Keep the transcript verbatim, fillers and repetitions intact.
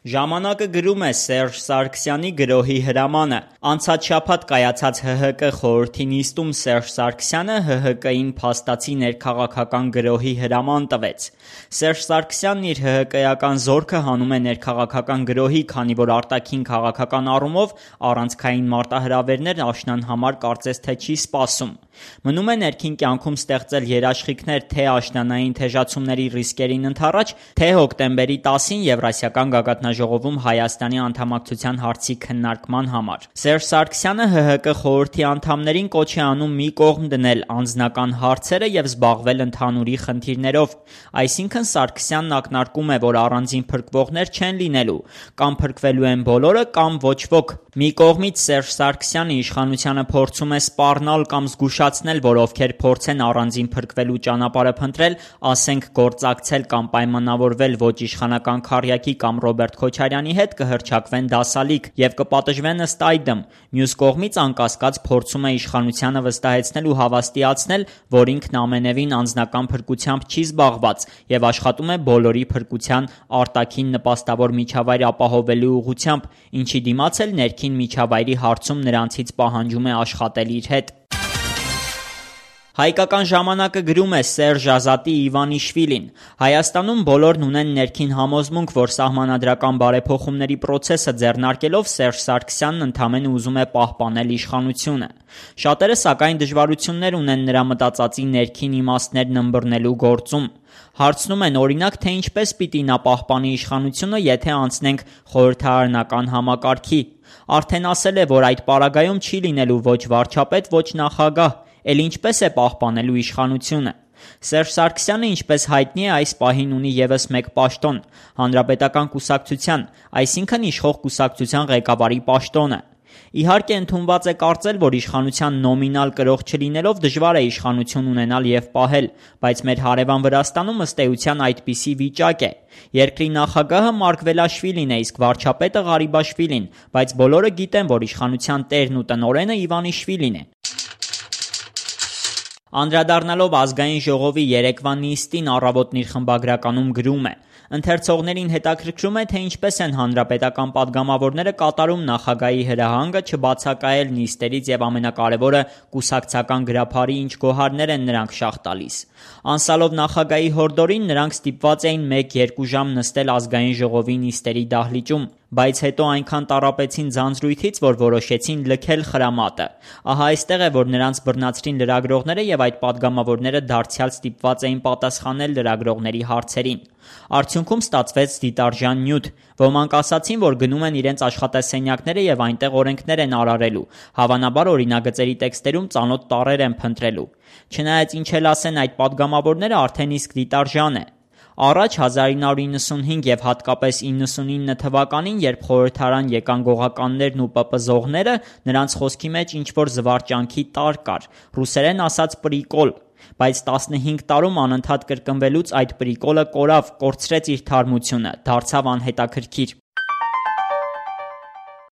Ժամանակը գրում է Սերժ Սարգսյանի գրոհի հրամանը։ Անցած շաբաթ կայացած Հ Հ Կ խորհրդի նիստում Սերժ Սարգսյանը Հ Հ Կ-ին փաստացի ներքաղաքական գրոհի հրաման տվեց։ Սերժ Սարգսյանն իր Հ Հ Կ-ական զորքը հանում է ներքաղաքական գրոհի, քանի որ արտաքին քաղաքական առումով առանցքային մարտահրավերներ աշնան համար կարծես թե չի սպասում։ Մնում է ներքին կյանքում ստեղծել երաշխիքներ թե աշնանային թեժացումների ռիսկերին ընդառաջ, թե հոկտեմբերի տասին Եվրասիական գագաթնաժողովում Հայաստանի անդամակցության հարցի քննարկման համար։ Սերժ Սարգսյանը Հ Հ Կ խորհրդի անդամներին կոչ է անում մի կողմ դնել անձնական հարցերը եւ զբաղվել ընդհանուրի խնդիրներով։ Այսինքն Սարգսյանն ակնարկում է, որ առանձին փրկվողներ չեն լինելու, կամ փրկվելու են բոլորը, կամ ոչ ոք։ Մի կողմից Սերժ Սարգսյանը իշխանությանը փորձում է սպառնալ կամ զգուշացնել, որ ովքեր փորձեն առանձին փրկվելու ճանապարհը փնտրել, ասենք գործակցել կամ պայմանավորվել ոչ իշխանական քառյակի կամ Ռոբերտ Քոչարյանի հետ, կհռչակվեն դասալիկ եւ կպատժվեն ըստ այդմ։ Մյուս կողմից անկասկած փորձում է իշխանությանը վստահեցնել ու հավաստիացնել, որ ինքն ամենևին անձնական փրկությամբ չի զբաղված եւ աշխատում է բոլորի փրկության արտաքին նպաստավոր միջավայր ապահովելու ուղղությամբ, ինչի դիմաց էլ ներքին միջավայրի հարցում նրանցից պահանջում է աշխատել իր հետ։ Հայկական ժամանակը գրում է Սերժ Ազատի Իվանիշվիլին։ Հայաստանում բոլորն ունեն ներքին համոզմունք, որ սահմանադրական բարեփոխումների process-ը ձեռնարկելով Սերժ Սարգսյանն ընդամենը ուզում է պահպանել իշխանությունը։ Շատերը սակայն դժվարություններ ունեն նրա մտածածի ներքին իմաստներն ըմբռնելու գործում։ Հարցնում են օրինակ, թե ինչպես պիտի նա պահպանի իշխանությունը, եթե անցնենք խորհրդարանական համակարգի։ Արդեն ասել է, որ այդ պարագայում չի լինելու ոչ վարչապետ, ոչ նախագահ, էլ ինչպես է պահպանելու իշխանությունը։ Սերժ Սարգսյանը, ինչպես հայտնի է, այս պահին ունի ևս մեկ պաշտոն՝ Հանրապետական կուսակցության, այսինքն իշխող կուսակցության ղեկավարի պաշտոնը։ Իհարկե ընդունված է կարծել, որ իշխանության նոմինալ կրող չլինելով դժվար է իշխանություն ունենալ եւ պահել, բայց մեր հարևան Վրաստանում ըստ էության այդպիսի վիճակ է։ Երկրի նախագահը Մարկվելաշվիլին է, իսկ վարչապետը Ղարիբաշվիլին, բայց բոլորը գիտեն, որ իշխանության տերն ու տնօրենը Իվանիշվիլին է։ Անդրադառնալով ազգային ժողովի երեկվա նիստին, Առավոտն իր խմբագրականում գրում է. Ընթերցողներին հետաքրքրում է, թե ինչպես են հանրապետական падգամավորները կատարում նախագահի հրահանգը չբացակայել նիստերից եւ ամենակարևորը կուսակցական գրափարի ինչ գոհարներ են նրանք շահ տալիս։ Անցալով նախագահի հորդորին նրանք ստիպված էին մեկ-երկու ժամ նստել ազգային ժողովի նիստերի դահլիճում, բայց հետո այնքան տառապեցին ձանձրույթից, որ որոշեցին լքել խրամատը։ Ահա այստեղ է, որ նրանց բռնացրին լրագրողները եւ այդ падգամավորները դարձյալ ստիպված էին պատասխանել լրագրողների հարցերին։ Արդյունքում ստացվեց դիտարժան նյութ։ Ոմանք ասացին, որ գնում են իրենց աշխատասենյակները եւ այնտեղ օրենքներ են արարելու, հավանաբար օրինագծերի տեքստերում ծանոթ տառեր են փնտրելու։ Չնայած ինչ էլ ասեն այդ падգամավորները, արդեն իսկ դիտարժան է։ Առաջ հազար ինը հարյուր իննսունհինգ եւ հատկապես իննսունինը թվականին, երբ խորհրդարան եկան գողականներն ու պպզողները, նրանց խոսքի մեջ ինչ-որ զվարճանքի տար կար, ռուսերեն ասած պրիկոլ, բայց տասնհինգ տարում անընդհատ կրկնվելուց այդ պրիկոլը կորավ, կորցրեց իր թարմությունը, դարձավ անհետաքրքիր։